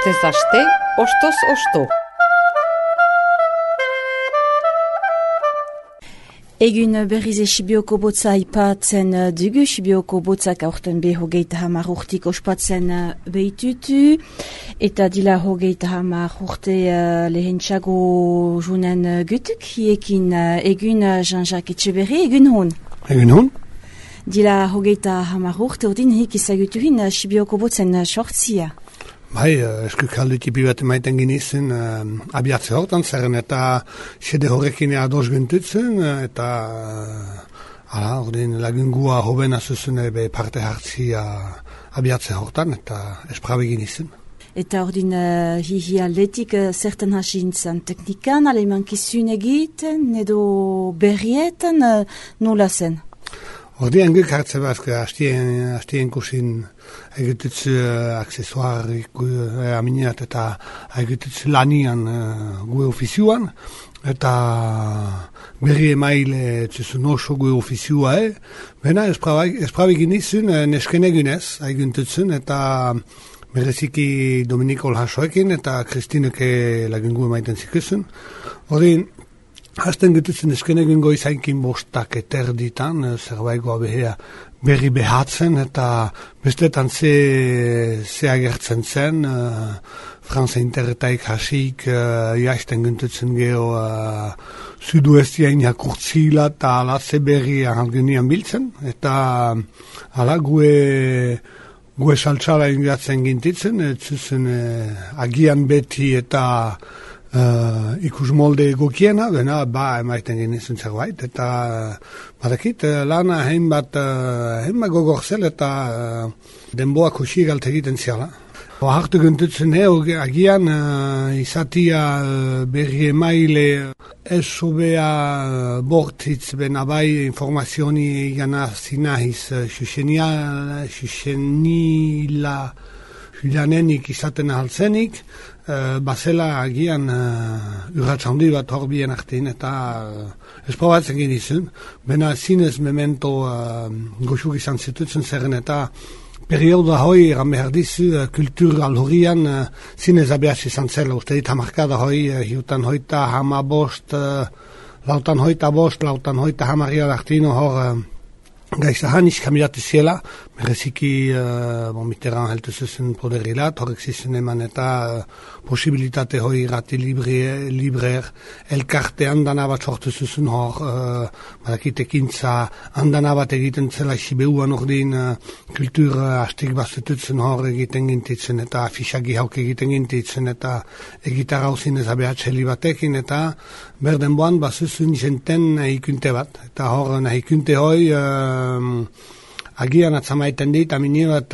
Astez aste, ostoz osto. Egun berriz Sibioko botza aipatzen dugu, Sibioko botzak aurten be 30 urtik ospatzen behitutu, eta dila 30 urte lehentxago junen gutuk, hiekin egun Jean-Jacques Etxeberri, egun hon. Egun hon. Dila 30 urte ordin hik izagutuhin Sibioko botzen sortzia. Bai, eskukaldu tipi bat emaiten ginizen abiatze hortan, zerren eta xede horrekin ados guntutzen, eta ordin lagungua hobena zuzune be parte hartzia abiatze hortan, eta esprabe ginizen. Eta ordin hihi aldetik zertan hasintzen teknikan, alemankizun egiten, edo berrietan, nola zen? Ordean guk hartze bazke hastien kusin egitutzu aksesuarik aminiat eta egitutzu lanian gue ofizioan eta berri emaile zuzun oso gue ofizioa bena esprabe ginizun nesken egunez eguntutzun eta bereziki Dominiko Olhasoekin eta Kristineke lagungu emaiten zikusun. Ordean hasten getutzen esken egin goizainkin bostak eterditan, zerbaikoa behea berri behatzen, eta bestetan ze agertzen zen, Franza interretaik hasik, jaisten gentutzen geho suduestiain jakurtzila, eta ala ze berri ahalgunian biltzen, eta ala gue saltxala ingatzen gintitzen, zuzen agian beti eta ikus molde egokiena, bena, emaiten genizun zerbait, eta badakit, lana hainbat gogorzel eta denboak hosiegalt egiten ziala. Hartu gentutzen agian izatia berri emaile esobea bortitz bena bai informazioni gana zinahiz xuxenila Julianenik izaten ahaltzenik, bazela agian urratxaundi bat horbien artein eta esprobatzen genizun. Bena zinez memento goxuk izan zitutzen zerren eta perioda hoi eran behar dizu kultur alhorian zinez abeaz izan zela. Uste dit hamarkada hoi, hiutan hoita hamabost, lautan hoita hamaria artino hor gaizahan iskamiatu ziela, bereziki Mitterrand heltu zuzen poderilat, horrek zizen eman eta posibilitate hoi irrati librer elkarte handana bat sortu zuzen hor, badakit ekintza handana bat egiten zela Sibeuan ordin kultur hastik bazututzen hor egiten gintitzen eta afixagi hauk egiten gintitzen eta egitar hauzin ezabehatxeli batekin eta berden boan bazuzun jenten nahikunte bat, eta hor nahikunte hoi agian atzamaiten dit, amini bat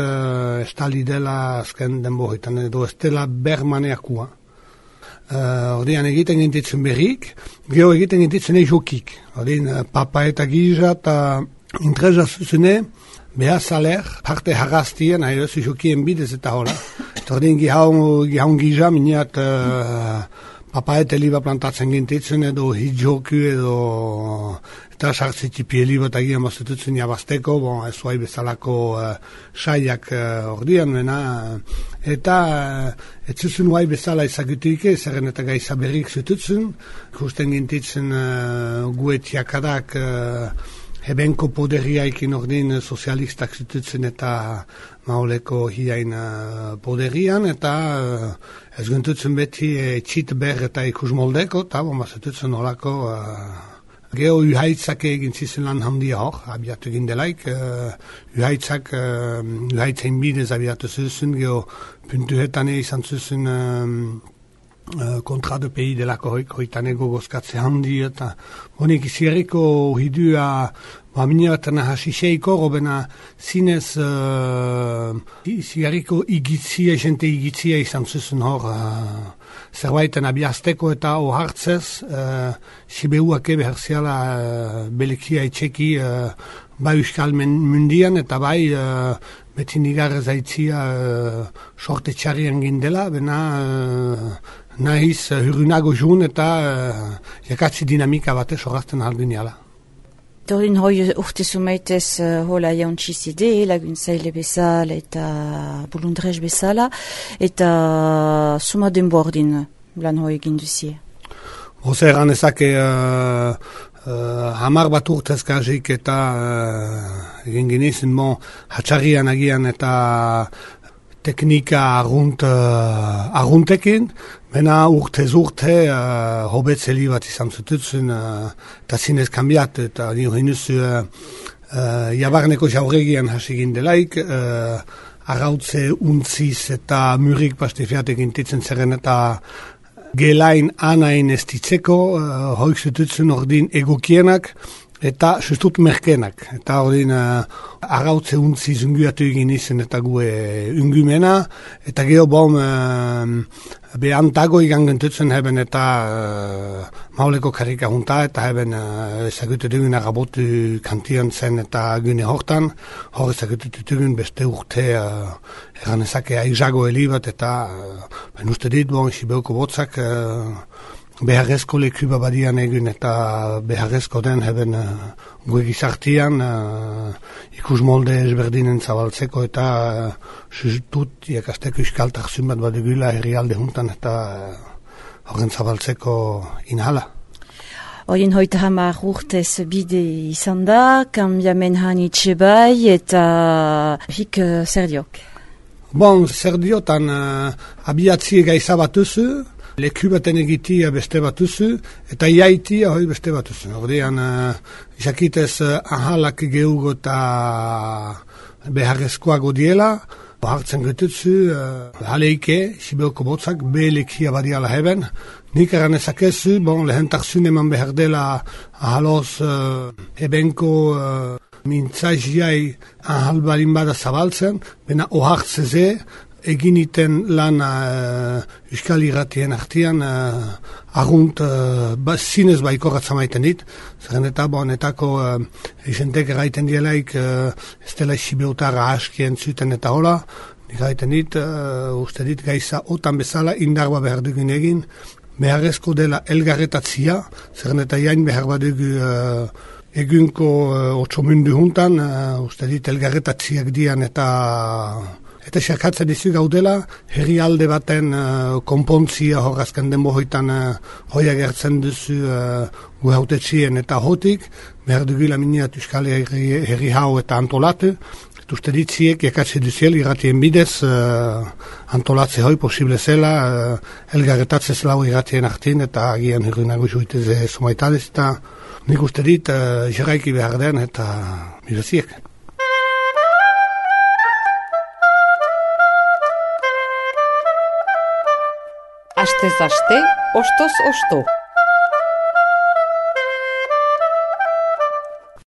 estali dela azken denbohitan, edo ez dela bermaneakua. Ordean egiten gintitzen berrik, geho egiten gintitzen jokik. Ordean papa eta giza eta intreza zuzune, beha saler, parte harrastien, nahi oso jokien bidez eta hola. Ordean gihaun giza, miniat papa eta liba plantatzen gintitzen, edo hidjoku, edo eta sartzitipi eliba eta gian bazututzen jabazteko, ez zuai bezalako saiak ordean, eta ez zuzun huai bezala ezagutuik, zerren eta gaiza berrik zututzen, ikusten gintitzen guetiakadak hebenko poderiaikin ordin sozialistak zututzen eta mauleko hiain poderian, eta ez guntutzen beti txit ber eta ikus moldeko, eta zututzen olako geho uhaitzak egin zizen lan handia hor, abiatu egin delaik, uhaitzain bidez abiatu zuzen, geho puntuetan izan zuzen kontra de pei delako hoitanego gozkatze handi eta honik izierriko hidua mineraten hasiseiko robena zinez izierriko igitzia, jente igitzia izan zuzen hor zerbaiten abiazteko eta ohartzez Sibeuak ebe herziala belekia etxeki bai euskal mundian eta bai beti nigarre zaitzia sorte txarrian gindela, bena nahiz, hurrunago jun eta jakatzi dinamika batez horazten alduniala. Torin hoi urte sumaitez hola jauntxizide, laguntzaile bezala eta bulundrez bezala, eta suma denbordin lan hoi egin duzie. Oza eran ezake hamar bat urtezkazik eta egin ginizen hatxarrian agian eta teknika arruntekin, bena urtez urte hobetzeli bat izan zututzen eta zinez kambiat eta nio hinuzu jabarneko jauregian hasi gindelaik, arrautze untziz eta murik pastifiatek intitzen zerren eta gelain anain ez ditzeko, hoik zututzen ordin egokienak eta sustut merkenak. Eta ordin arrautze untzi zunguatu egin izen eta gue ungumena, eta geho bom behantago igan gentutzen heben eta mauleko karika junta, eta heben ezagutu dugun arabotu kantian zen eta gune hortan, hor ezagutu dugun beste urte eran ezake aizago helibat eta ben uste dit, Sibeuko Botzak beharrezko leku babadian egun eta beharrezko den heben gue gizartian ikus molde ezberdinen zabaltzeko eta sustut iakasteko iskaltak zunbat badugula herrialde juntan eta horren zabaltzeko inhala. Horien hoita hamar urtez bide izan da, kambiamen hanitxe bai eta hik zer diok? Bon, zer diotan abiatzie gaiza batuzu, leku baten egitia beste batuzu, eta iaitia hoi beste batuzu. Ordean, jakitez ahalak geugo eta beharrezkoago diela, hartzen gututzu, haleike, Sibeuko Botzak, lekia badiala heben, nik eran ezakezu, lehentak zuneman behar dela ahaloz ebenko mintzaziai ahal balin bada zabaltzen, bena ohartzeze, eginiten lan Euskal Irratien artian argunt zinez baikorratza maiten dit, zeren eta honetako izentek erraiten dielaik ez dela Sibeutara askien zuten eta hola, nik erraiten dit, uste dit gaiza otan bezala indarba behar dugun egin, beharrezko dela elgarretatzia, zeren eta jain behar badugu egunko otsomundu juntan, uste dit elgarretatziak dian eta xerkatzen dizu gaudela, herri alde baten konpontzia horrazken denbohoitan hoia gertzen duzu gu hautetzien eta hotik, behar dugula miniat Euskal Herri hau eta antolatu, eta uste ditziek jakatze duziel irratien bidez antolatze hoi posible zela, elgarretatzez lau irratien artin eta agian hirruinago juiteze somaitadez eta nik uste dit jeraiki behar den eta miraziek. Astez aste, ostoz osto.